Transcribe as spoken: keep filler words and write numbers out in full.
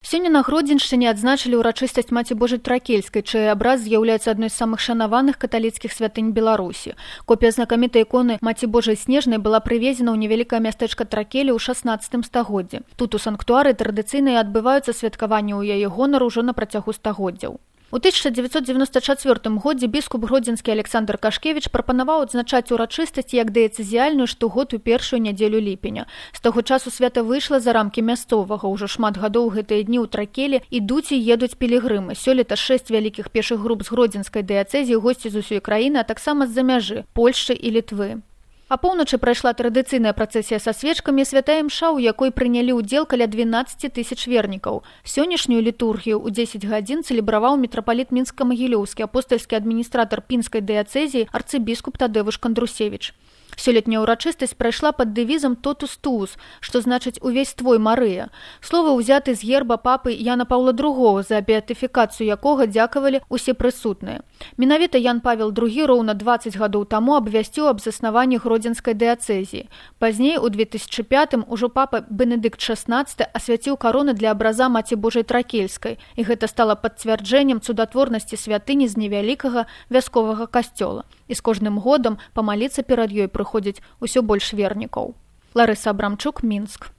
Сёння на Гродзеншчыне адзначылі ўрачыстасць Маці Божай Тракельскай, чый абраз з'яўляецца адной з самых шанаваных каталіцкіх святынь Беларусі. Копія знакамітай іконы Маці Божай Снежнай была прывезена ў невялікае мястэчка Тракелі ў шаснаццатым стагоддзі. Тут у санктуары традыцыйна адбываюцца святкаванні ў яе гонару ўжо на працягу стагоддзяў. У тысяча дзевяцьсот дзевяноста чацвёртым годзе біскуп гродзенскі Александр Кашкевіч прапанаваў адзначаць урачыстасць як дыяцэзіяльную штогод у першую нядзелю ліпеня. З таго часу свята выйшла за рамкі мясцовага. Ужо шмат гадоў гэтыя дні ў Тракелі ідуць і едуць пілігрымы. Сёлета шэсць вялікіх пешых груп з гродзенскай дыяцэзіі, госці з усёй краіны, а таксама з-за мяжы, Польшчы і Літвы. А поўначы прайшла традыцыйная працэсія са свечкамі, святая імша, у якой прынялі ўдзел каля дванаццаць тысяч вернікаў. Сённяшнюю літургію ў дзесяць гадзін цэлебраваў мітрапаліт Мінска-Магілёўскі, апостальскі адміністратар пінскай дыяцэзіі арцыбіскуп Тадэвуш Кандрусевіч. Сёлетняя ўрачыстасць прайшла пад дэвізам «Тотус туус», што значыць «Увесь твой, Марыя». Словы ўзяты з герба папы Яна Паўла другога, за беатыфікацыю якога дзякавалі усе прысутныя. Менавіта Ян Павел другі роўна дваццаць гадоў таму абвясціў аб заснаванні гродзенскай дыяцэзіі. Пазней, у две тысячы пятым, ужо папа Бенедыкт шаснаццаты асвяціў кароны для абраза Маці Божай Тракельскай, і гэта стала пацвярджэннем цудатворнасці святыні з невялікага вясковага касцёла. І з кожным годам памаліцца перад ёй прыходзіць усё больш вернікаў. Ларыса Абрамчук, Мінск.